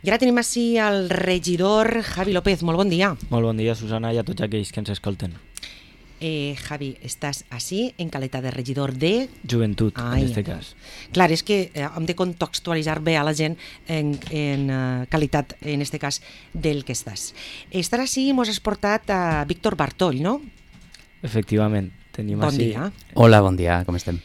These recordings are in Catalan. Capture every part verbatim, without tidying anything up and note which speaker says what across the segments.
Speaker 1: I ara tenim així el regidor Javi López. Molt bon dia.
Speaker 2: Molt bon dia, Susana, i a tots aquells que ens escolten.
Speaker 1: Eh, Javi, estàs així en qualitat de regidor de...
Speaker 2: Joventut,
Speaker 1: Ai,
Speaker 2: en este
Speaker 1: ai.
Speaker 2: cas.
Speaker 1: Clar, és que eh, hem de contextualitzar bé a la gent en, en uh, qualitat, en este cas, del que estàs. Estar així mos has portat a Víctor Bartoll, no?
Speaker 2: Efectivament, tenim
Speaker 1: Bon
Speaker 2: així...
Speaker 1: dia.
Speaker 3: Hola, bon dia, com estem?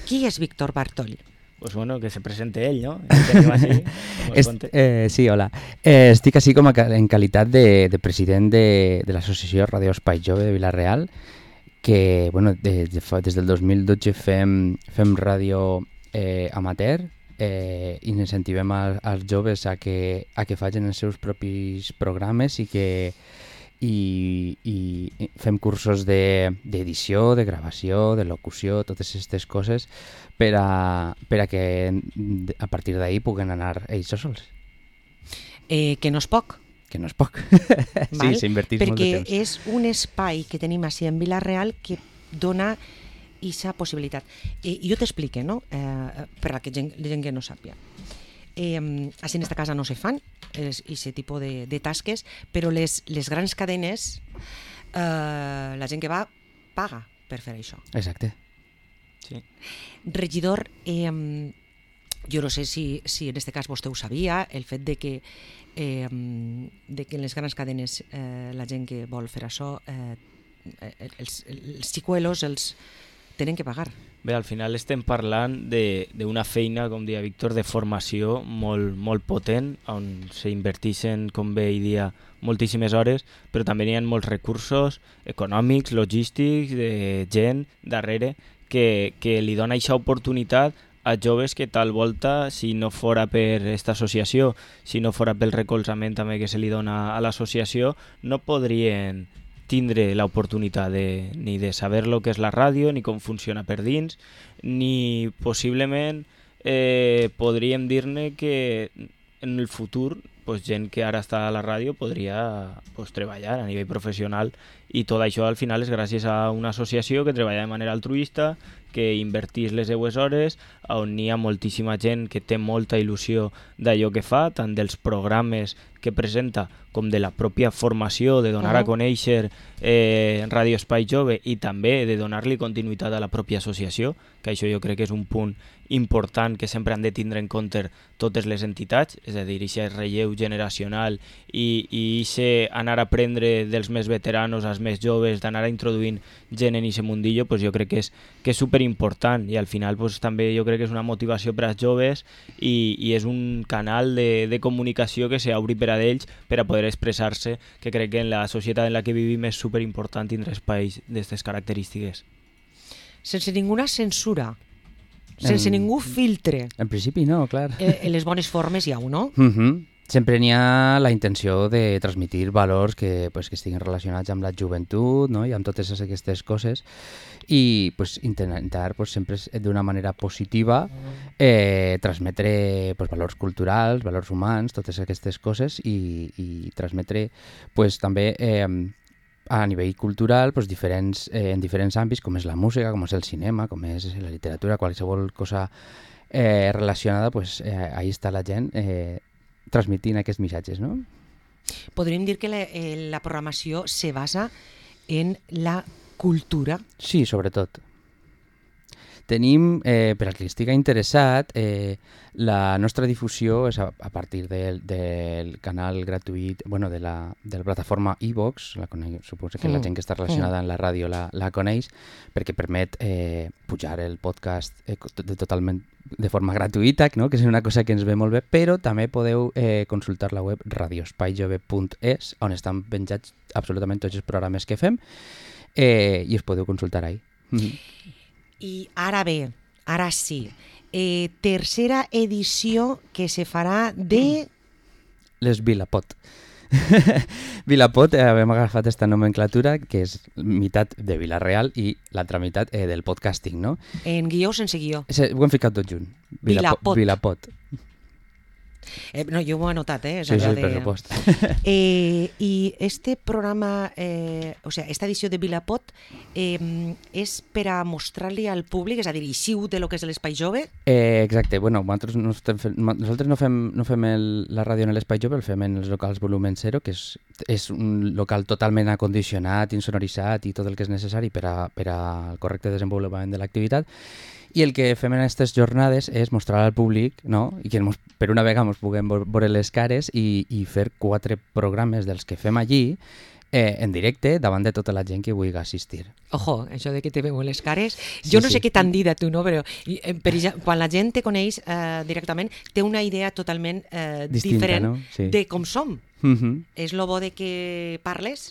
Speaker 1: Qui és Víctor Bartoll?
Speaker 2: Pues bueno, que se presente ell, no? El tenim així, com es
Speaker 3: Est,
Speaker 2: conte.
Speaker 3: eh, sí, hola. Eh, estic així com a, ca- en qualitat de, de president de, de l'associació Radio Espai Jove de Vila-real, que bueno, de, de, fa- des del dos mil dotze fem, fem ràdio eh, amateur eh, i incentivem a, als joves a que, a que facin els seus propis programes i que i, i fem cursos de- d'edició, de, de gravació, de locució, totes aquestes coses per a, per a que a partir d'ahir puguen anar ells sols,
Speaker 1: Eh, que no és poc,
Speaker 3: que no és poc.
Speaker 1: val?
Speaker 3: Sí, s'invertís molt de
Speaker 1: perquè
Speaker 3: temps.
Speaker 1: és un espai que tenim així en Vila-real que dona aquesta possibilitat. I jo t'explique, no? Eh, per a que gent, la gent que no sàpia. Eh, així en esta casa no se fan aquest tipus de, de tasques, però les, les grans cadenes, eh, la gent que va paga per fer això.
Speaker 3: Exacte.
Speaker 2: Sí.
Speaker 1: Regidor, eh, jo no sé si, si en este cas vostè ho sabia, el fet de que, eh, de que en les grans cadenes eh, la gent que vol fer això, eh, els, els xicuelos els tenen que pagar.
Speaker 2: Bé, al final estem parlant de- d'una feina, com deia Víctor, de formació molt, molt potent, on s'inverteixen, com bé hi dia, moltíssimes hores, però també hi ha molts recursos econòmics, logístics, de gent darrere, que, que li dona aquesta oportunitat a joves que tal volta, si no fora per aquesta associació, si no fora pel recolzament també que se li dona a l'associació, no podrien tindre l'oportunitat de, ni de saber lo que és la ràdio, ni com funciona per dins, ni possiblement eh, podríem dir-ne que en el futur pues, gent que ara està a la ràdio podria pues, treballar a nivell professional, i tot això al final és gràcies a una associació que treballa de manera altruista, que invertís les seues hores, on hi ha moltíssima gent que té molta il·lusió d'allò que fa, tant dels programes que presenta com de la pròpia formació, de donar a
Speaker 1: Uh-huh.
Speaker 2: conèixer eh, Radio Espai Jove, i també de donar-li continuïtat a la pròpia associació, que això jo crec que és un punt important que sempre han de tindre en compte totes les entitats, és a dir, aquest relleu generacional i, i ese anar a aprendre dels més veteranos als més joves, d'anar introduint gent en aquest mundillo, pues jo crec que és, que és superimportant, i al final pues, també jo crec que és una motivació per als joves i, i és un canal de, de comunicació que s'obri per a ells per a poder expressar-se, que crec que en la societat en la que vivim és superimportant tindre espais d'aquestes característiques.
Speaker 1: Sense ninguna censura, sense
Speaker 3: En-
Speaker 1: ningú filtre.
Speaker 3: En principi no, clar.
Speaker 1: Eh, en les bones formes hi ha un, no?
Speaker 3: Mhm. Sempre n'hi ha la intenció de transmitir valors que, pues, que estiguin relacionats amb la joventut, no? I amb totes aquestes coses, i pues, intentar pues, sempre d'una manera positiva eh, transmetre pues, valors culturals, valors humans, totes aquestes coses, i, i transmetre pues, també eh, a nivell cultural pues, diferents, eh, en diferents àmbits, com és la música, com és el cinema, com és la literatura, qualsevol cosa eh, relacionada, pues, eh, ahí està la gent eh, transmitint aquests missatges, no?
Speaker 1: Podríem dir que la, eh, la programació se basa en la cultura.
Speaker 3: Sí, sobretot. Tenim, eh, per al que estigui interessat, eh, la nostra difusió és a, a partir del, del canal gratuït, bueno, de la, de la plataforma iVox, la coneix, suposo que
Speaker 1: Mm.
Speaker 3: la gent que està relacionada amb la ràdio la, la coneix, perquè permet eh, pujar el podcast eh, co- de, totalment de forma gratuïta, no? Que és una cosa que ens ve molt bé, però també podeu eh, consultar la web radio espai jove punt es, on estan penjats absolutament tots els programes que fem, eh, i us podeu consultar ahí. Mhm.
Speaker 1: I ara bé, ara sí, eh, tercera edició que se farà de...
Speaker 3: Les Vilapot. Vilapot, eh, hem agafat aquesta nomenclatura que és meitat de Vila-real i l'altra meitat eh, del podcasting, no?
Speaker 1: En guió o sense guió.
Speaker 3: És, ho hem ficat tot junt.
Speaker 1: Vilapot.
Speaker 3: Vilapot.
Speaker 1: Eh, no, jo ho he anotat, eh? És
Speaker 3: Sí, sí,
Speaker 1: allò
Speaker 3: per
Speaker 1: de...
Speaker 3: supost.
Speaker 1: Eh, I este programa, eh, o sea, esta edició de Vilapot eh, és per a mostrar-li al públic, és a dir, ixiu de lo que és l'Espai Jove?
Speaker 3: Eh, exacte, bueno, nosaltres no, estem fent, nosaltres no fem, no fem el, la ràdio en l'Espai Jove, el fem en els locals Volumen Zero, que és, és un local totalment acondicionat, insonoritzat i tot el que és necessari per a, per al correcte desenvolupament de l'activitat. I el que fem en aquestes jornades és mostrar al públic, no? I que mos, per una vegada ens puguem veure les cares i, i fer quatre programes dels que fem allí eh, en directe davant de tota la gent que vulgui assistir.
Speaker 1: Ojo, això de que te veuen les cares,
Speaker 3: Sí,
Speaker 1: jo no
Speaker 3: sí.
Speaker 1: sé què t'han dit a tu, no? Però eh, per, exemple, quan la gent te coneix eh, directament, té una idea totalment eh,
Speaker 3: Distinta,
Speaker 1: diferent
Speaker 3: no? Sí.
Speaker 1: de com som.
Speaker 3: Mm-hmm.
Speaker 1: És lo bo de que parles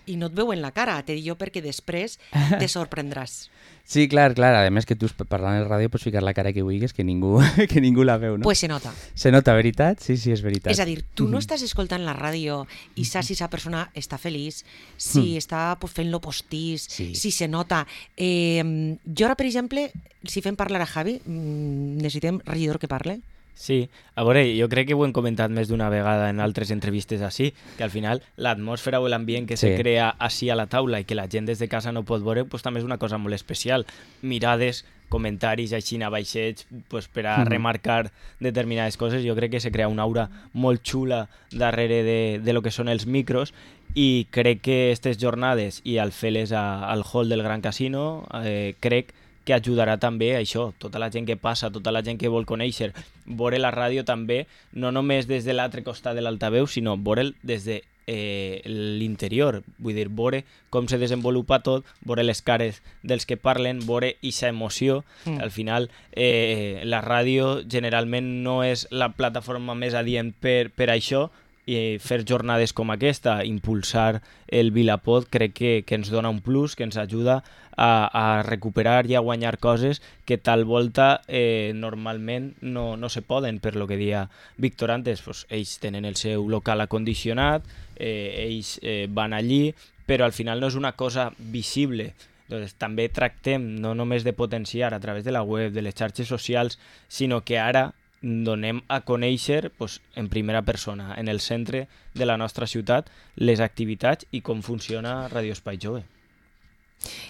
Speaker 1: i no et veuen la cara, te dic jo, perquè després te sorprendràs.
Speaker 3: Sí, clar, clar. A més que tu parlant en ràdio pots ficar la cara que vulguis, que ningú, que ningú la veu, no?
Speaker 1: Pues se nota.
Speaker 3: Se nota, veritat? Sí, sí, és veritat.
Speaker 1: És a dir, tu no estàs escoltant la ràdio i saps si aquesta persona està feliç, si està pues, fent-lo postís,
Speaker 3: Sí.
Speaker 1: si se nota. Eh, jo ara, per exemple, si fem parlar a Javi, mm, necessitem regidor que parle.
Speaker 2: Sí, a veure, jo crec que ho hem comentat més d'una vegada en altres entrevistes així, que al final l'atmosfera o l'ambient que
Speaker 3: Sí.
Speaker 2: se crea així a la taula i que la gent des de casa no pot veure, pues, també és una cosa molt especial. Mirades, comentaris així a baixets pues, per a
Speaker 3: Mhm.
Speaker 2: remarcar determinades coses. Jo crec que se crea una aura molt xula darrere de, de lo que són els micros i crec que aquestes jornades i al fer-les a- al hall del Gran Casino eh, crec que ajudarà també a això, tota la gent que passa, tota la gent que vol conèixer, veure la ràdio també, no només des de l'altre costat de l'altaveu, sinó veure'l des de eh, l'interior, vull dir, veure com se desenvolupa tot, veure les cares dels que parlen, veure aquesta emoció.
Speaker 1: Mm.
Speaker 2: Al final, eh, la ràdio generalment no és la plataforma més adient per, per això, i fer jornades com aquesta, impulsar el Vilapot, crec que, que ens dona un plus, que ens ajuda a, a recuperar i a guanyar coses que tal volta eh, normalment no, no se poden, per lo que deia Víctor antes. Pues, ells tenen el seu local acondicionat, eh, ells eh, van allí, però al final no és una cosa visible. Entonces, també tractem no només de potenciar a través de la web, de les xarxes socials, sinó que ara donem a conèixer pues, en primera persona, en el centre de la nostra ciutat, les activitats i com funciona Ràdio Espai Jove.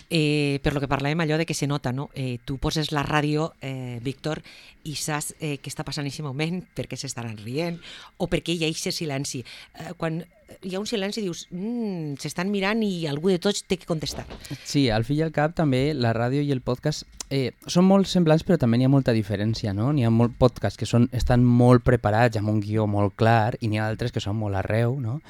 Speaker 1: Eh, per lo que parlàvem allò de que se nota, no? Eh, tu poses la ràdio, eh, Víctor, i saps eh, què està passant en aquest moment, perquè s'estaran rient, o perquè hi ha aquest silenci. Eh, quan hi ha un silenci dius, mm, s'estan mirant i algú de tots té que contestar.
Speaker 3: Sí, al fi i al cap també la ràdio i el podcast eh, són molt semblants però també n'hi ha molta diferència, no? N'hi ha molt podcasts que són, estan molt preparats amb un guió molt clar i n'hi ha altres que són molt arreu, no?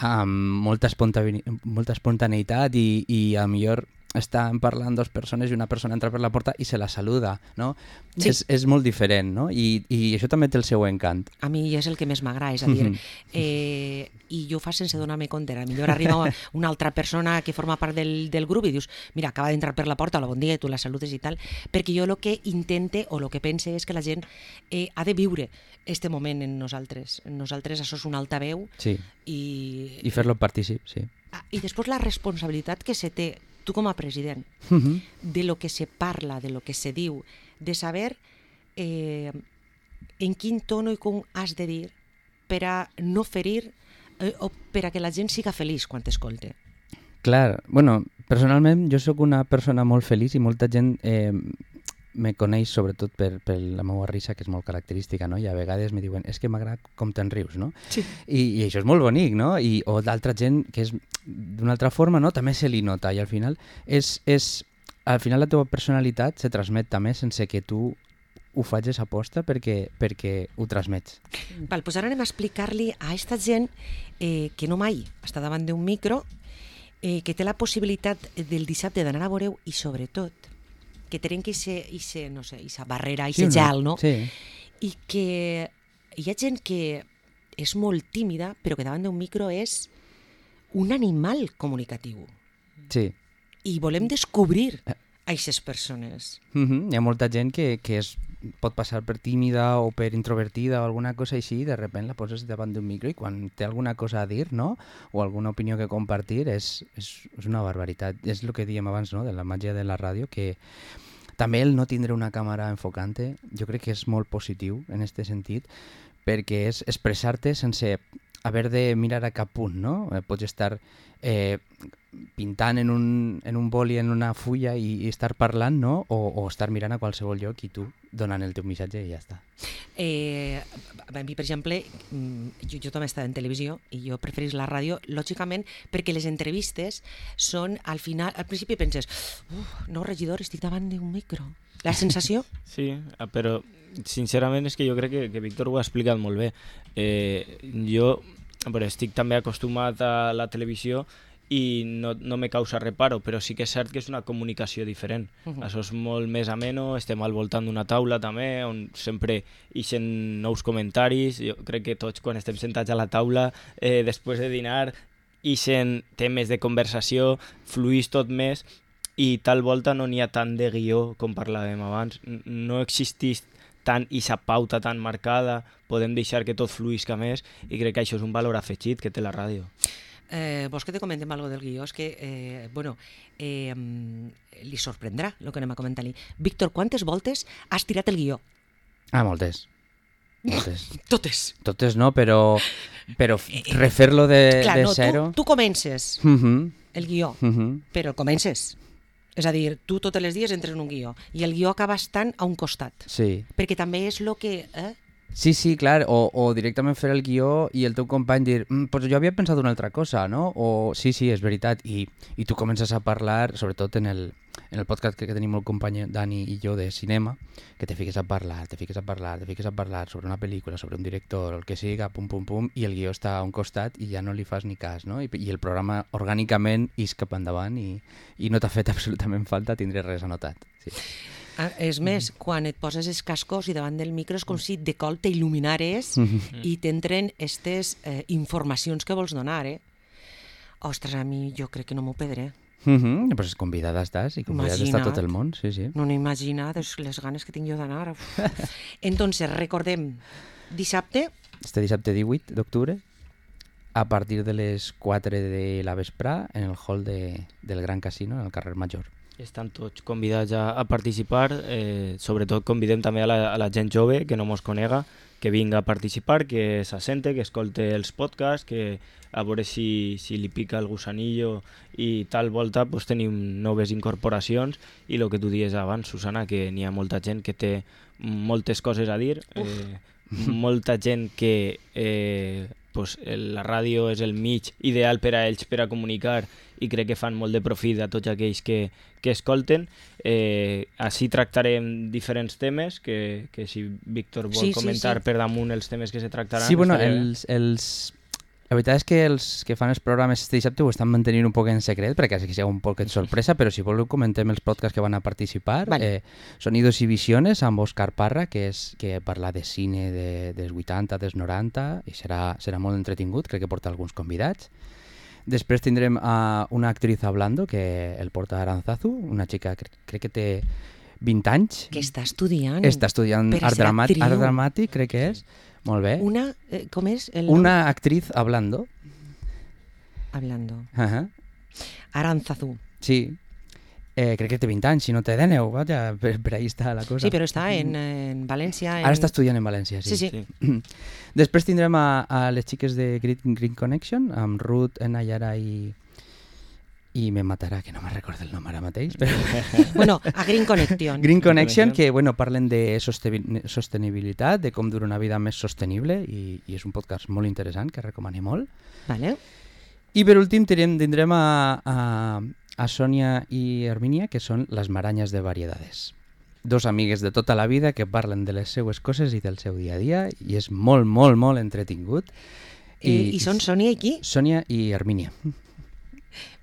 Speaker 3: Amb molta, espontane molta espontaneïtat i, i a millor estan parlant dos persones i una persona entra per la porta i se la saluda, no?
Speaker 1: Sí.
Speaker 3: És, és molt diferent, no? I, i això també té el seu encant.
Speaker 1: A mi és el que més m'agrada, és a dir, eh, i jo ho fa sense donar-me compte. A millor arriba una altra persona que forma part del, del grup i dius, mira, acaba d'entrar per la porta, hola, bon dia, i tu la saludes i tal, perquè jo el que intente o el que pense és que la gent eh, ha de viure este moment en nosaltres. En nosaltres això és un altaveu
Speaker 3: Sí,
Speaker 1: i,
Speaker 3: i fer-lo partícip, sí.
Speaker 1: Ah, i després la responsabilitat que se té tu com a president
Speaker 3: Mhm.
Speaker 1: de lo que se parla, de lo que se diu, de saber eh, en quin tono i com has de dir per a no ferir eh, o per a que la gent siga feliç quan t'escolte.
Speaker 3: Clar, bueno, personalment jo sóc una persona molt feliç i molta gent eh, me coneix sobretot per, per la meva risa, que és molt característica, no? I a vegades me diuen, és que m'agrada com te'n rius, no?
Speaker 1: Sí.
Speaker 3: I, I això és molt bonic, no? I, o d'altra gent que és d'una altra forma, no? També se li nota i al final és, és al final la teva personalitat se transmet també sense que tu ho facis aposta perquè, perquè ho transmets.
Speaker 1: Val, doncs ara anem a explicar-li a aquesta gent eh, que no mai està davant d'un micro, eh, que té la possibilitat del dissabte d'anar a veure i sobretot que trenqui aquesta no sé, barrera, aquest
Speaker 3: Sí,
Speaker 1: gel, no?
Speaker 3: Sí.
Speaker 1: I que hi ha gent que és molt tímida, però que davant d'un micro és un animal comunicatiu.
Speaker 3: Sí.
Speaker 1: I volem descobrir a aquestes persones.
Speaker 3: Mm-hmm. Hi ha molta gent que, que es pot passar per tímida o per introvertida o alguna cosa així i de sobte la poses davant d'un micro i quan té alguna cosa a dir, no? O alguna opinió que compartir és, és, és una barbaritat. És el que dèiem abans, no? De la màgia de la ràdio, que també el no tindre una càmera enfocante jo crec que és molt positiu en aquest sentit perquè és expressar-te sense haver de mirar a cap punt, no? Eh, pots estar eh, pintant en un, en un boli, en una fulla i, i estar parlant, no? O, o estar mirant a qualsevol lloc i tu donant el teu missatge i ja està.
Speaker 1: Eh, a mi, per exemple, jo, jo també he estat en televisió i jo preferís la ràdio, lògicament, perquè les entrevistes són, al final, al principi penses, uf, nou regidor, estic davant d'un micro. La sensació?
Speaker 2: Sí, però sincerament és que jo crec que, que Víctor ho ha explicat molt bé. Eh, jo però estic també acostumat a la televisió i no, no me causa reparo, però sí que és cert que és una comunicació diferent. Uh-huh. Això és molt més ameno, estem al voltant d'una taula també, on sempre ixen nous comentaris. Jo crec que tots quan estem sentats a la taula, eh, després de dinar, ixen temes de conversació, fluís tot més, i tal volta no n'hi ha tant de guió com parlàvem abans. No existeix tant ixa pauta tan marcada, podem deixar que tot fluïsca més, i crec que això és un valor afegit que té la ràdio.
Speaker 1: Eh, vols que te comentem algo del guió? És que, eh, bueno, eh, li sorprendrà el que anem a comentar-li. Víctor, quantes voltes has tirat el guió?
Speaker 3: Ah, moltes. Moltes.
Speaker 1: Totes.
Speaker 3: Totes no, però, però refer-lo de,
Speaker 1: Clar,
Speaker 3: de
Speaker 1: no,
Speaker 3: zero...
Speaker 1: Tu, tu comences
Speaker 3: uh-huh.
Speaker 1: el guió,
Speaker 3: uh-huh.
Speaker 1: però el comences. És a dir, tu tots els dies entres en un guió i el guió acaba estant a un costat.
Speaker 3: Sí.
Speaker 1: Perquè també és el que... Eh?
Speaker 3: Sí, sí, clar, o, o directament fer el guió i el teu company dir, mm, pues jo havia pensat una altra cosa, no? O sí, sí, és veritat, i, i tu comences a parlar, sobretot en el, en el podcast que, que tenim el company Dani i jo de cinema, que te fiques a parlar, te fiques a parlar, te fiques a parlar sobre una pel·lícula, sobre un director, el que siga, pum, pum, pum, i el guió està a un costat i ja no li fas ni cas, no? I, i el programa orgànicament is cap endavant i, i no t'ha fet absolutament falta tindre res anotat. Sí.
Speaker 1: Ah, és més, mm. quan et poses els cascos i davant del micro és com si de col t'il·luminares mm-hmm. i t'entren aquestes eh, informacions que vols donar, eh? Ostres, a mi jo crec que no m'ho perdré.
Speaker 3: Mm-hmm. Pues convidada estàs i convidada està tot el món, sí, sí.
Speaker 1: No n'he imaginat les ganes que tinc jo d'anar. Entonces, recordem, dissabte...
Speaker 3: Este dissabte divuit d'octubre, a partir de les quatre de la vesprà, en el hall de, del Gran Casino, en el carrer Major.
Speaker 2: Estan tots convidats a, a participar, eh, sobretot convidem també a la, a la gent jove que no mos conega, que vinga a participar, que s'assente, que escolte els podcasts, que a veure si, si li pica el gusanillo i tal volta pues, tenim noves incorporacions i el que tu dies abans, Susana, que n'hi ha molta gent que té moltes coses a dir, eh, molta gent que eh, pues, la ràdio és el mig ideal per a ells per a comunicar i crec que fan molt de profit a tots aquells que, que escolten. Eh, així tractarem diferents temes, que, que si Víctor vol
Speaker 1: sí,
Speaker 2: comentar
Speaker 1: sí, sí.
Speaker 2: per damunt els temes que se tractaran...
Speaker 3: Sí, bueno,
Speaker 2: estaré...
Speaker 3: els, els... la veritat és que els que fan els programes este dissabte ho estan mantenint un poc en secret, perquè sigui un poc de sorpresa, però si voleu comentem els podcasts que van a participar.
Speaker 1: Vale.
Speaker 3: Eh, Sonidos i Visiones, amb Òscar Parra, que és que parla de cine de, dels vuitanta, dels noranta, i serà, serà molt entretingut, crec que porta alguns convidats. Després tindrem a una actriz hablando, que el porta Aranzazu, una xica que crec que té vint anys.
Speaker 1: Que està estudiant.
Speaker 3: Està estudiant art, dramàtic, art dramàtic, crec que és. Molt bé.
Speaker 1: Una, eh, com és? El
Speaker 3: una actriz hablando.
Speaker 1: Hablando.
Speaker 3: Uh-huh.
Speaker 1: Aranzazu.
Speaker 3: Sí. Eh, crec que té vint anys, si no té dènou, vaja, per, per ahí està la cosa.
Speaker 1: Sí, però està en, en València. En...
Speaker 3: Ara està estudiant en València, sí.
Speaker 1: Sí, sí.
Speaker 3: sí. Després tindrem a, a les xiques de Green, Green Connection, amb Ruth, Nayara i... i me matarà, que no me'n recordo el nom ara mateix. Però...
Speaker 1: bueno, a Green Connection.
Speaker 3: Green Connection, que bueno, parlen de sostenibilitat, de com dur una vida més sostenible, i, i és un podcast molt interessant, que recomanem molt.
Speaker 1: Vale.
Speaker 3: I per últim tindrem, tindrem a... a a Sònia i Hermínia, que són les maranyes de variedades. Dos amigues de tota la vida que parlen de les seues coses i del seu dia a dia, i és molt, molt, molt entretingut.
Speaker 1: I, eh, i són Sònia i qui?
Speaker 3: Sònia i Hermínia.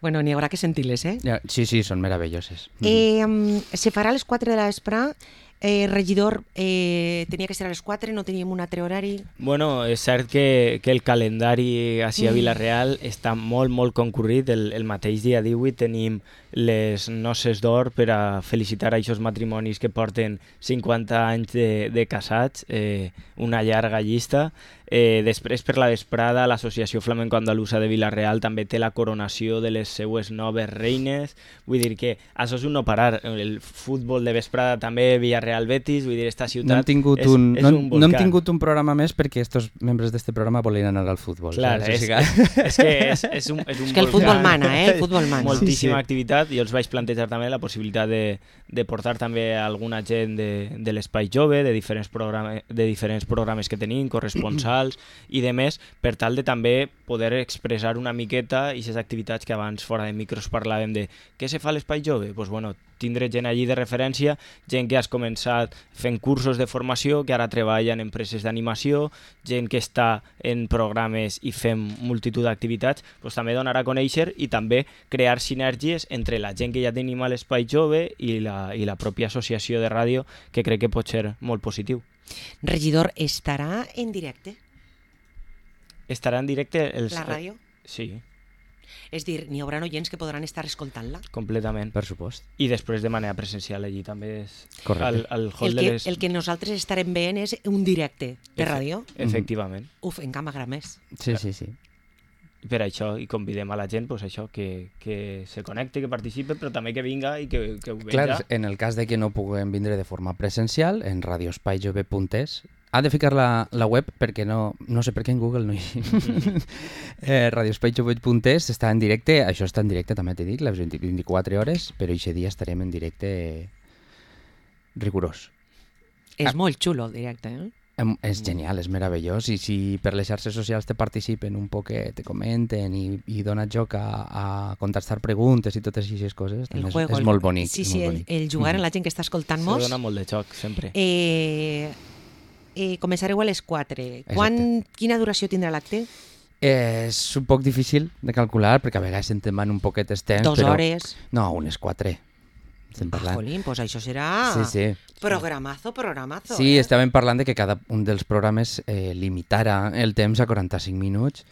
Speaker 1: Bueno, n'hi haurà que sentir-les, eh?
Speaker 3: Ja, sí, sí, són meravelloses.
Speaker 1: Eh, um, se farà a les quatre de la vesprà. Eh, regidor, eh, tenia que ser a les quatre, no teníem un altre horari.
Speaker 2: Bueno, és cert que, que el calendari així a Vila-real mm. està molt, molt concurrit. El, el mateix dia divuit tenim les noces d'or per a felicitar a aquests matrimonis que porten cinquanta anys de, de casats, eh, una llarga llista. Eh, després, per la vesprada, l'Associació Flamenco Andalusa de Vila-real també té la coronació de les seues noves reines. Vull dir que això és un no parar. El futbol de vesprada també, Villarreal-Betis, vull dir, esta ciutat
Speaker 3: no hem tingut
Speaker 2: és,
Speaker 3: un,
Speaker 2: és
Speaker 3: no,
Speaker 2: un
Speaker 3: no hem
Speaker 2: volcán.
Speaker 3: tingut un programa més perquè estos membres d'este programa volien anar al futbol.
Speaker 2: Clar,
Speaker 3: saps?
Speaker 2: és,
Speaker 3: O sigui,
Speaker 2: és que és, és un, és un
Speaker 1: És que el
Speaker 2: volcán.
Speaker 1: futbol mana, eh? El futbol mana.
Speaker 2: Moltíssima
Speaker 3: Sí, sí.
Speaker 2: activitat. Jo els vaig plantejar també la possibilitat de, de portar també alguna gent de, de l'Espai Jove, de diferents, programa, de diferents programes que tenim, corresponsals i de més, per tal de també poder expressar una miqueta i aquestes activitats que abans fora de micros parlàvem de què se fa a l'Espai Jove? Pues bueno, tindre gent allí de referència, gent que has començat fent cursos de formació, que ara treballa en empreses d'animació, gent que està en programes i fem multitud d'activitats, doncs també donar a conèixer i també crear sinergies entre la gent que ja tenim a l'Espai Jove i la, i la pròpia associació de ràdio, que crec que pot ser molt positiu.
Speaker 1: Regidor, estarà en directe
Speaker 2: Estarà en directe els...
Speaker 1: la ràdio?
Speaker 2: Sí,
Speaker 1: És dir, n'hi haurà oients que podran estar escoltant-la?
Speaker 2: completament.
Speaker 3: per supost.
Speaker 2: I després de manera presencial allí també és...
Speaker 3: Correcte.
Speaker 2: Al, al hall
Speaker 1: El
Speaker 2: de
Speaker 1: que,
Speaker 2: les...
Speaker 1: el que nosaltres estarem veient és un directe de
Speaker 2: Efe-
Speaker 1: ràdio.
Speaker 2: Efectivament.
Speaker 1: Uf, encara m'agrada més.
Speaker 3: Sí, sí, sí.
Speaker 2: Per això, i convidem a la gent pues, això, que, que se connecte, que participe, però també que vinga i que, que ho veja.
Speaker 3: Clar, en el cas de que no puguem vindre de forma presencial, en radioespaijove punt es, ha de ficar la, la web perquè no, no sé per què en Google no hi... eh, radioespaijove punt es està en directe, això està en directe també t'he dit, les vint, vint-i-quatre hores, però aquest dia estarem en directe rigorós.
Speaker 1: És molt xulo el directe, eh?
Speaker 3: Em- És genial, és meravellós, i si per les xarxes socials te participen un poquet, te comenten i, i dona joc a, a contestar preguntes i totes aquestes coses,
Speaker 1: El
Speaker 3: també és,
Speaker 1: juego,
Speaker 3: és
Speaker 1: el-
Speaker 3: molt bonic.
Speaker 1: Sí,
Speaker 3: és
Speaker 1: sí,
Speaker 3: molt
Speaker 1: el,
Speaker 3: bonic.
Speaker 1: el jugar en
Speaker 3: Mhm.
Speaker 1: la gent que està
Speaker 2: Se
Speaker 1: escoltant-nos.
Speaker 2: dona molt de xoc, sempre.
Speaker 1: Eh, eh, començareu a les quatre. Quan, quina duració tindrà l'acte?
Speaker 3: És un poc difícil de calcular, perquè a vegades se'n te'n un poquet els temps,
Speaker 1: Dos
Speaker 3: però...
Speaker 1: hores.
Speaker 3: No, unes quatre. Estem
Speaker 1: Ah,
Speaker 3: parlant.
Speaker 1: jolín, pues això serà
Speaker 3: Sí, sí.
Speaker 1: programazo, programazo.
Speaker 3: Sí,
Speaker 1: eh?
Speaker 3: estàvem parlant de que cada un dels programes eh, limitara el temps a quaranta-cinc minuts,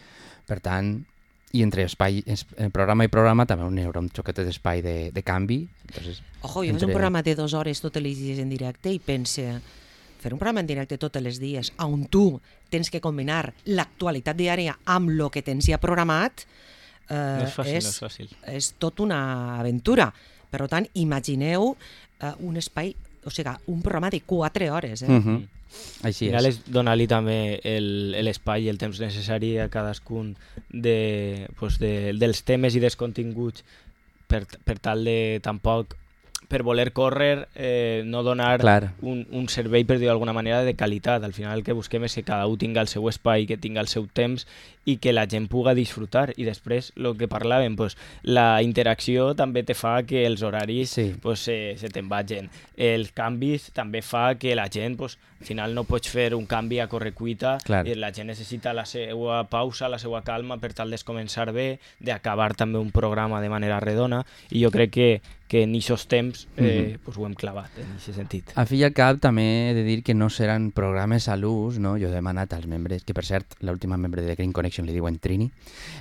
Speaker 3: per tant, i entre espai, es, eh, programa i programa també hi haurà un xoquet d'espai de, de canvi. Entonces,
Speaker 1: Ojo, jo
Speaker 3: entre-
Speaker 1: faig un programa de dues hores tots els dies en directe i pense, fer un programa en directe tots els dies on tu tens que combinar l'actualitat diària amb el que tens ja programat, eh,
Speaker 2: No és fàcil,
Speaker 1: és,
Speaker 2: no és fàcil.
Speaker 1: és tot una aventura. Per tant, imagineu eh, un espai, o sigui, un programa de quatre hores. Eh?
Speaker 3: Uh -huh. Així
Speaker 2: Al final
Speaker 3: és.
Speaker 2: és donar-li també el- l'espai i el temps necessari a cadascun de, pues de, dels temes i dels continguts per, per tal de tampoc per voler córrer, eh, no donar
Speaker 3: Clar.
Speaker 2: un, un servei, per dir d'alguna manera, de qualitat. Al final el que busquem és que cada un tinga el seu espai, que tinga el seu temps i que la gent puga disfrutar. I després, el que parlàvem, pues, la interacció també te fa que els horaris
Speaker 3: Sí.
Speaker 2: pues, se, se te'n vagin. Els canvis també fa que la gent, pues, al final no pots fer un canvi a correcuita,
Speaker 3: Clar.
Speaker 2: i la gent necessita la seva pausa, la seva calma per tal de començar bé, d'acabar també un programa de manera redona, i jo crec que, que en aquests temps eh, pues, ho hem clavat en aquest sentit.
Speaker 3: Al fi i al cap també he de dir que no seran programes a l'ús, no? Jo he demanat als membres, que per cert, l'última membre de Green Connection li diuen Trini,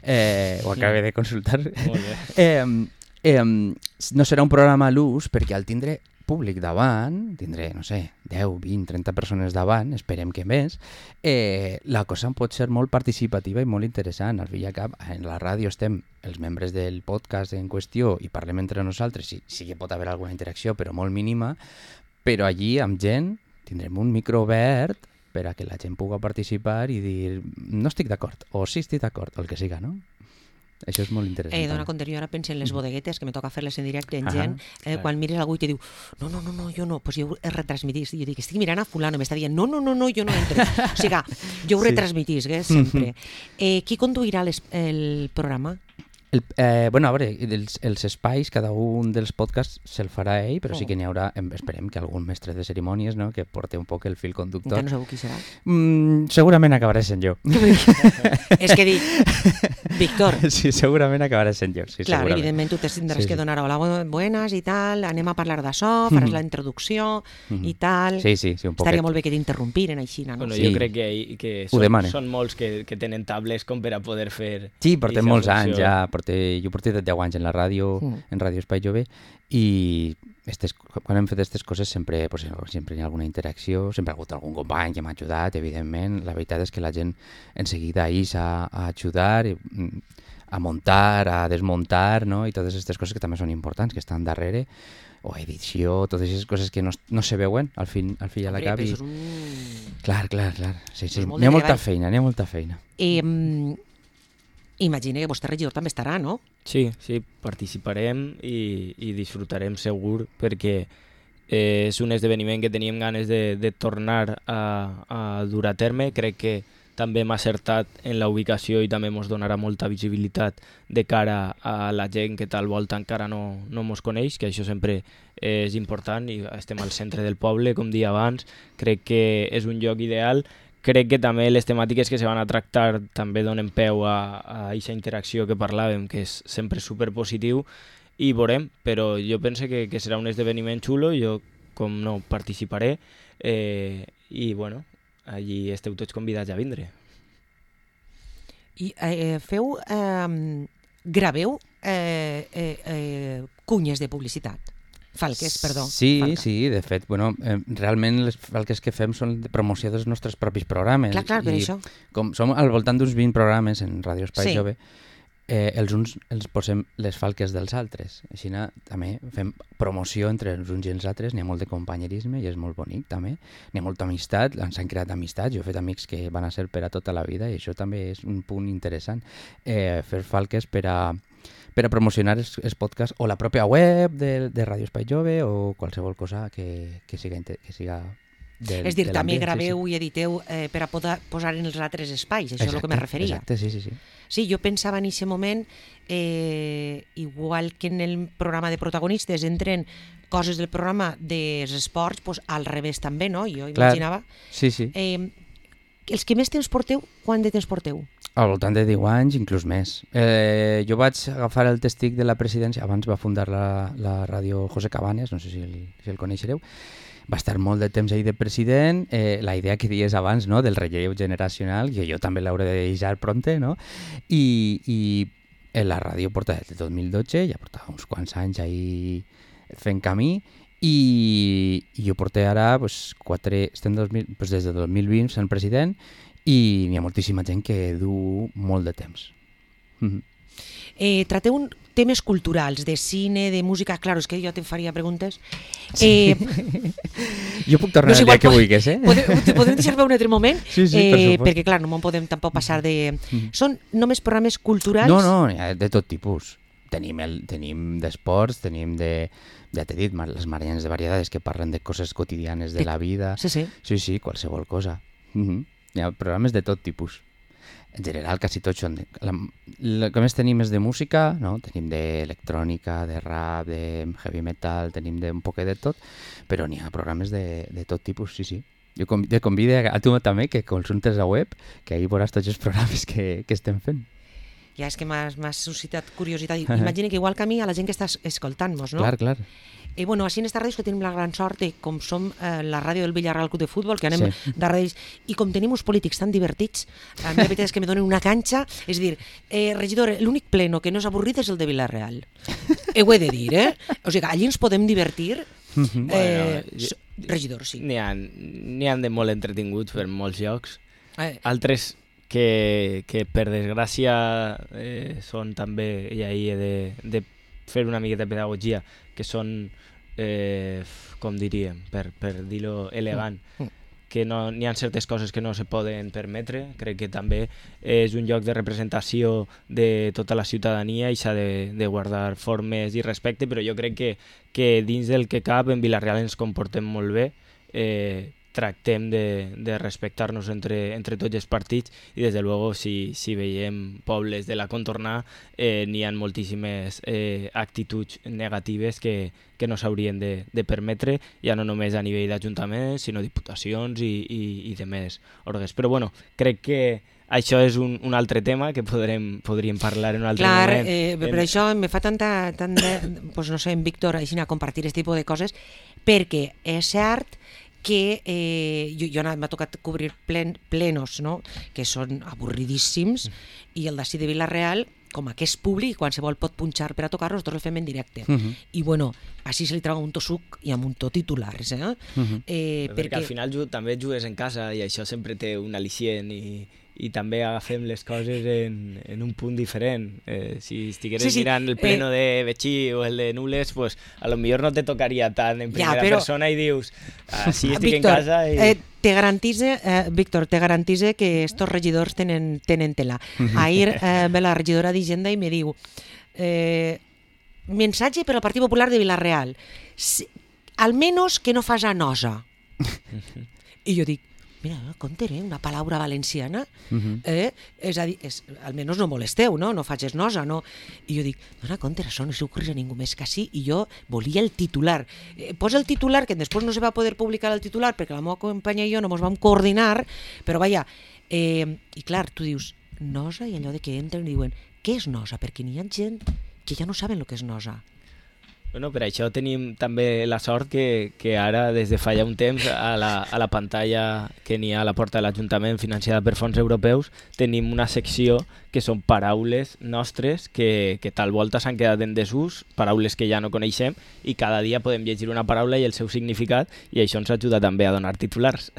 Speaker 3: eh, ho acabé de consultar.
Speaker 2: Molt bé.
Speaker 3: eh, eh, no serà un programa a l'ús perquè al tindre públic davant, tindré, no sé, deu, vint, trenta persones davant, esperem que més, eh, la cosa pot ser molt participativa i molt interessant. Al fi i al cap, en la ràdio estem els membres del podcast en qüestió i parlem entre nosaltres, sí, sí que pot haver alguna interacció, però molt mínima, però allí amb gent tindrem un micro obert per a que la gent pugui participar i dir no estic d'acord, o sí estic d'acord, o el que siga, no? Això és molt interessant.
Speaker 1: Eh, dona
Speaker 3: també.
Speaker 1: compte, jo ara penso en les bodeguetes, que me toca fer-les en directe en
Speaker 3: Ahà,
Speaker 1: gent, eh,
Speaker 2: clar.
Speaker 1: quan mires algú i te diu no, no, no, no, jo no, pues jo ho retransmitís. I jo dic, estic mirant a fulano, m'està dient no, no, no, no, jo no entro. O sigui, jo ho
Speaker 3: Sí.
Speaker 1: retransmitís, eh, sempre. Eh, qui conduirà les, el programa?
Speaker 3: El, eh, bueno, a veure, els, els espais, cada un dels podcasts se'l farà ell, però sí
Speaker 1: Oh.
Speaker 3: que n'hi haurà, em- esperem que algun mestre de cerimònies, no?, que porti un poc el fil conductor.
Speaker 1: Encara no sabeu qui serà.
Speaker 3: Mm, segurament acabaré sent jo.
Speaker 1: És que dic, Víctor,
Speaker 3: Sí, segurament acabaré sent jo, sí,
Speaker 1: clar,
Speaker 3: segurament.
Speaker 1: evidentment tu tindràs
Speaker 3: Sí,
Speaker 1: que
Speaker 3: sí.
Speaker 1: donar hola, bu- buenas i tal, anem a parlar d'això, faràs la introducció i tal.
Speaker 3: Sí, sí, sí, un poquet.
Speaker 1: Estaria molt bé que t'interrompiren així, no?
Speaker 2: Bueno,
Speaker 3: Sí.
Speaker 2: jo crec que, que
Speaker 3: Ho
Speaker 2: són,
Speaker 3: demane.
Speaker 2: són molts que, que tenen tables com per a poder fer...
Speaker 3: Sí, portem
Speaker 2: eixa
Speaker 3: molts
Speaker 2: funció.
Speaker 3: anys ja, porté, jo porté deu anys en la ràdio,
Speaker 1: Mm.
Speaker 3: en Ràdio Espai Jove, i estes, quan hem fet aquestes coses sempre, pues, sempre hi ha alguna interacció, sempre ha hagut algun company que m'ha ajudat, evidentment. La veritat és que la gent en seguida ix a, a ajudar, a muntar, a desmuntar, no? I totes aquestes coses que també són importants, que estan darrere, o edició, totes aquestes coses que no, no se veuen al fin, al fi i a la cap. I...
Speaker 1: Un...
Speaker 3: Clar, clar, clar. Sí, sí.
Speaker 1: N'hi
Speaker 3: ha molta feina, n'hi ha molta feina.
Speaker 1: Eh, imagine que vostè regidor també estarà, no?
Speaker 2: Sí, sí, participarem i, i disfrutarem segur perquè eh, és un esdeveniment que teníem ganes de, de tornar a, a dur a terme. Crec que també hem acertat en la ubicació i també ens donarà molta visibilitat de cara a la gent que tal volta encara no, no mos coneix, que això sempre és important i estem al centre del poble, com dia abans. Crec que és un lloc ideal. Crec que també les temàtiques que se van a tractar també donen peu a aquesta interacció que parlàvem, que és sempre superpositiu, i veurem, però jo penso que, que serà un esdeveniment xulo, jo com no participaré, eh, i bueno, allí esteu tots convidats a vindre.
Speaker 1: I eh, feu, eh, graveu eh, eh, eh, cunyes de publicitat? Falques, perdó.
Speaker 3: Sí,
Speaker 1: Falca.
Speaker 3: sí, de fet, bueno, eh, realment les falques que fem són de promoció dels nostres propis programes.
Speaker 1: Clar, clar, per
Speaker 3: I
Speaker 1: això.
Speaker 3: Com som al voltant d'uns vint programes en Ràdio Espai
Speaker 1: Sí.
Speaker 3: Jove, eh, els uns els posem les falques dels altres. Així també fem promoció entre els uns i els altres, n'hi ha molt de companyerisme i és molt bonic també. N'hi ha molta amistat, s'han creat amistats, jo he fet amics que van a ser per a tota la vida i això també és un punt interessant. Eh, fer falques per a per a promocionar els, els podcasts o la pròpia web de, de Ràdio Espai Jove o qualsevol cosa que, que siga, que siga del,
Speaker 1: és dir,
Speaker 3: de
Speaker 1: també graveu
Speaker 3: sí, sí.
Speaker 1: i editeu eh, per a poder posar en els altres espais, això exacte, és el que me referia.
Speaker 3: Exacte, sí, sí, sí.
Speaker 1: Sí, jo pensava en aquest moment, eh, igual que en el programa de protagonistes entren coses del programa dels esports, pues, al revés també, no? Jo imaginava.
Speaker 3: Clar. Sí, sí.
Speaker 1: Eh, els que més temps porteu, quant de temps porteu?
Speaker 3: Al voltant de deu anys, inclús més. Eh, jo vaig agafar el testic de la presidència, abans va fundar la, la ràdio José Cabanes, no sé si el, si el coneixereu, va estar molt de temps ahí de president, eh, la idea que dies abans, no?, del relleu generacional, que jo també l'hauré de deixar pronte, no?, i, i la ràdio porta des del dos mil dotze, ja portava uns quants anys ahí fent camí, i, i jo porté ara pues, quatre, estem dos mil, pues, des del dos mil vint sent president, i n'hi ha moltíssima gent que du molt de temps. Mm-hmm.
Speaker 1: Eh, trateu un, temes culturals, de cine, de música, clar, és que jo te faria preguntes.
Speaker 3: Sí. Eh, jo puc tornar no el dia que vulguis, eh?
Speaker 1: Podem, podem deixar-me un altre moment?
Speaker 3: Sí, sí,
Speaker 1: eh,
Speaker 3: per supost.
Speaker 1: Perquè, clar, no me'n podem tampoc passar de... Mm. Són només programes culturals?
Speaker 3: No, no, de tot tipus. Tenim, el, tenim d'esports, tenim de... Ja t'he dit, les Marianes de Variedades que parlen de coses quotidianes de la vida.
Speaker 1: Sí, sí.
Speaker 3: Sí, sí, qualsevol cosa. Mm-hmm. Hi ha programes de tot tipus. En general, quasi tots són... De... La, el que més tenim és de música, no? Tenim d'electrònica, de rap, de heavy metal, tenim de un poquet de tot, però n'hi ha programes de, de tot tipus, sí, sí. Jo te convido a tu també que consultes la web, que ahí veuràs tots els programes que, que estem fent.
Speaker 1: Ja és que m'has suscitat curiositat. Imagina que igual que a mi, a la gent que està escoltant-nos, no?
Speaker 3: Clar, clar.
Speaker 1: Eh, bueno, així en esta ràdio que tenim la gran sort de, com som eh, la ràdio del Villarreal Club de Futbol, que anem sí. de ràdios, i com tenim uns polítics tan divertits, a mi la veritat és que me donen una canxa, és dir, eh, regidor, l'únic pleno que no és avorrit és el de Villarreal. Eh, ho he de dir, eh? O sigui, allí ens podem divertir. Eh, bueno, jo, regidor, sí.
Speaker 2: N'hi ha, n'hi ha de molt entretinguts per molts llocs.
Speaker 1: Eh.
Speaker 2: Altres que, que per desgràcia eh, són també, i ahir he de, de fer una miqueta de pedagogia, que són, eh, com diríem, per, per dir-ho elegant, mm. que no, n'hi ha certes coses que no se poden permetre. Crec que també és un lloc de representació de tota la ciutadania i s'ha de, de guardar formes i respecte, però jo crec que, que dins del que cap en Vila-real ens comportem molt bé, eh, tractem de, de respectar-nos entre, entre tots els partits i des de luego si, si veiem pobles de la contornà eh, n'hi ha moltíssimes eh, actituds negatives que, que no s'haurien de, de permetre, ja no només a nivell d'ajuntaments sinó diputacions i, i, i de més òrgans. Però bueno, crec que això és un, un altre tema que podrem, podríem parlar en un altre
Speaker 1: Clar,
Speaker 2: moment.
Speaker 1: Eh, per en... això me fa tanta, tant de, pues no sé, en Víctor, així a compartir aquest tipus de coses, perquè és cert que eh, jo, jo m'ha tocat cobrir plen, plenos, no? Que són avorridíssims, mm. i el d'ací de Vila-real com que és públic, qualsevol pot punxar per a tocar-lo, nosaltres el fem en directe.
Speaker 3: Uh -huh.
Speaker 1: I bueno, així se li treu un to suc i amb un to titulars, eh?
Speaker 3: Uh -huh.
Speaker 1: eh
Speaker 2: perquè, perquè al
Speaker 1: perquè...
Speaker 2: final ju també jugues en casa i això sempre té un al·licient i, i també agafem les coses en, en un punt diferent. Eh, si estigueres
Speaker 1: Sí, sí,
Speaker 2: mirant el pleno
Speaker 1: eh,
Speaker 2: de Betxí o el de Nules, pues a lo millor no te tocaria tant en
Speaker 1: Ja,
Speaker 2: primera
Speaker 1: però-
Speaker 2: persona i dius, així estic
Speaker 1: Víctor,
Speaker 2: en casa i...
Speaker 1: eh, te garantize, eh, Víctor, te garantize que estos regidors tenen, tenen tela. Ahir eh, ve la regidora d'Hisenda i me diu eh, mensatge per al Partit Popular de Vilareal. Si, almenos que no fas a nosa. I jo dic, mira, compte, eh, una paraula valenciana,
Speaker 3: Uh -huh.
Speaker 1: eh? És a dir, és, almenys no molesteu, no? No facis nosa, no? I jo dic, dona compte, això no s'ocorre a ningú més que així, i jo volia el titular. Eh, posa el titular, que després no se va poder publicar el titular, perquè la meva companya i jo no ens vam coordinar, però vaja, eh, i clar, tu dius, nosa, i allò de que entren i diuen, què és nosa? Perquè n'hi ha gent que ja no saben el que és nosa.
Speaker 2: Bueno, per això tenim també la sort que, que ara, des de fa ja un temps, a la, a la pantalla que n'hi ha a la porta de l'Ajuntament financiada per fons europeus, tenim una secció que són paraules nostres que, que tal volta s'han quedat en desús, paraules que ja no coneixem, i cada dia podem llegir una paraula i el seu significat, i això ens ajuda també a donar titulars.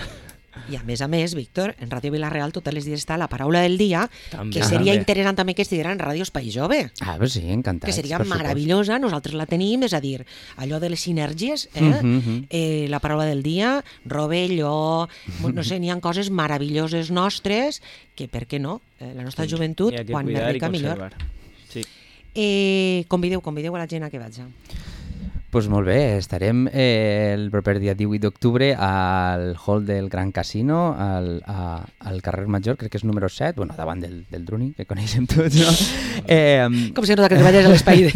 Speaker 1: I a més a més, Víctor, en Ràdio Vilareal totes les dies està la paraula del dia,
Speaker 2: També.
Speaker 1: que seria
Speaker 2: També.
Speaker 1: interessant també que estiguera en Ràdio Espai Jove.
Speaker 3: Ah, pues sí, encantats.
Speaker 1: Que seria
Speaker 3: per supost.
Speaker 1: meravellosa, nosaltres la tenim, és a dir, allò de les sinergies, eh?
Speaker 3: Mhm, mhm.
Speaker 1: eh la paraula del dia, rovelló, no sé, n'hi ha coses meravelloses nostres, que per què no? Eh, la nostra joventut,
Speaker 2: N'hi ha que
Speaker 1: quan més
Speaker 2: cuidar i
Speaker 1: rica, millor.
Speaker 2: conservar. Sí.
Speaker 1: Eh, convideu, convideu a la gent a que vaig.
Speaker 3: Pues molt bé, estarem eh, el proper dia divuit d'octubre al hall del Gran Casino, al, a, al carrer Major, crec que és número set, bueno, davant del, del Druni, que coneixem tots, no? Eh,
Speaker 1: Com si nota que treballes a l'espai de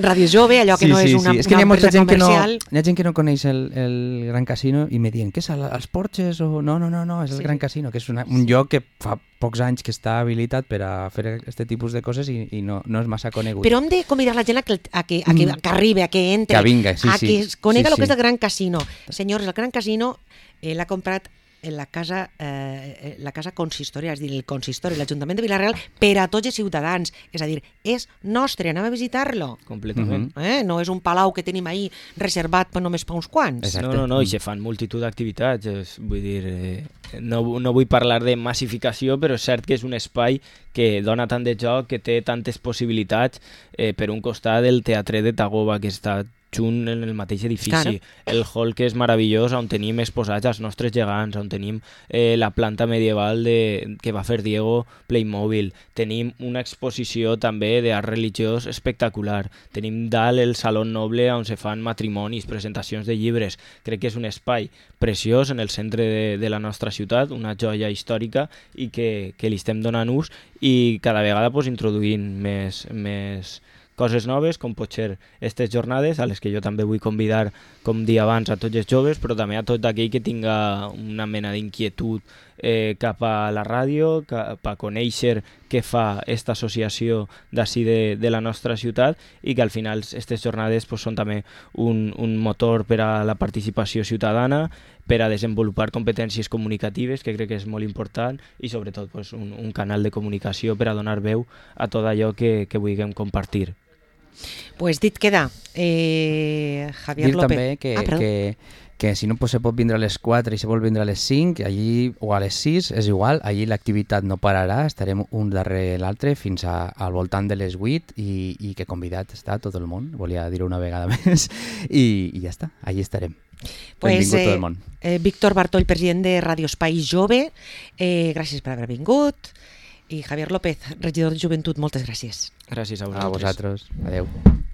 Speaker 1: Ràdio Jove, allò que
Speaker 3: sí,
Speaker 1: no és
Speaker 3: sí,
Speaker 1: una,
Speaker 3: sí. És que
Speaker 1: una
Speaker 3: hi ha molta
Speaker 1: empresa
Speaker 3: gent que no,
Speaker 1: comercial.
Speaker 3: hi ha gent que no coneix el, el Gran Casino i me diuen, què és, el- els Porches? O... No, no, no, no, és el
Speaker 1: Sí,
Speaker 3: Gran
Speaker 1: sí.
Speaker 3: Casino, que és una, un lloc que fa pocs anys que està habilitat per a fer aquest tipus de coses i, i no, no és massa conegut.
Speaker 1: Però hem de convidar la gent a que, a que, a que, a que arribi, a que entre,
Speaker 3: Que vinga, sí,
Speaker 1: a
Speaker 3: sí.
Speaker 1: que es conega
Speaker 3: Sí,
Speaker 1: el que
Speaker 3: sí.
Speaker 1: és el Gran Casino. Senyors, el Gran Casino eh, l'ha comprat en la casa, eh, la casa consistorial, és a dir, el consistori, l'Ajuntament de Vilareal, per a tots els ciutadans. És a dir, és nostre, anem a visitar-lo.
Speaker 2: Completament.
Speaker 1: Eh? No és un palau que tenim ahí reservat per només per uns quants.
Speaker 3: Exacte.
Speaker 2: No, no, no, i se fan multitud d'activitats, és- vull dir, eh, no, no vull parlar de massificació, però és cert que és un espai que dona tant de joc, que té tantes possibilitats, eh, per un costat del Teatre de Tagoba, que està junt en el mateix edifici,
Speaker 1: Claro.
Speaker 2: el hall que és meravellós, on tenim exposats els nostres gegants, on tenim eh, la planta medieval de, que va fer Diego Playmobil, tenim una exposició també d'art religiós espectacular, tenim dalt el Saló Noble on se fan matrimonis, presentacions de llibres, crec que és un espai preciós en el centre de, de la nostra ciutat, una joia històrica i que, que li estem donant ús i cada vegada pues, introduint més, més coses noves, com pot ser aquestes jornades, a les que jo també vull convidar, com dia abans, a tots els joves, però també a tot aquell que tinga una mena d'inquietud eh, cap a la ràdio, cap a conèixer què fa aquesta associació d'ací de, de la nostra ciutat i que al final aquestes jornades pues, són també un, un motor per a la participació ciutadana, per a desenvolupar competències comunicatives, que crec que és molt important, i sobretot pues, un, un canal de comunicació per a donar veu a tot allò que, que vulguem compartir.
Speaker 1: Pues dit queda, eh, Javier
Speaker 3: Dir
Speaker 1: López.
Speaker 3: també que,
Speaker 1: ah, perdó.
Speaker 3: que, que si no pues, se pot vindre a les quatre i se vol vindre a les cinc, allí, o a les sis, és igual, allí l'activitat no pararà, estarem un darrere l'altre fins a, al voltant de les vuit i, i que convidat està tot el món, volia dir-ho una vegada més, i, i ja està, allí estarem.
Speaker 1: Pues,
Speaker 3: Benvingut
Speaker 1: eh,
Speaker 3: tot el món.
Speaker 1: Eh, Víctor Bartoll, president de Ràdio Espai Jove, eh, gràcies per haver vingut. I Javier López, regidor de Joventut, moltes gràcies.
Speaker 2: Gràcies a
Speaker 3: A
Speaker 2: vosaltres.
Speaker 3: vosaltres. Adeu.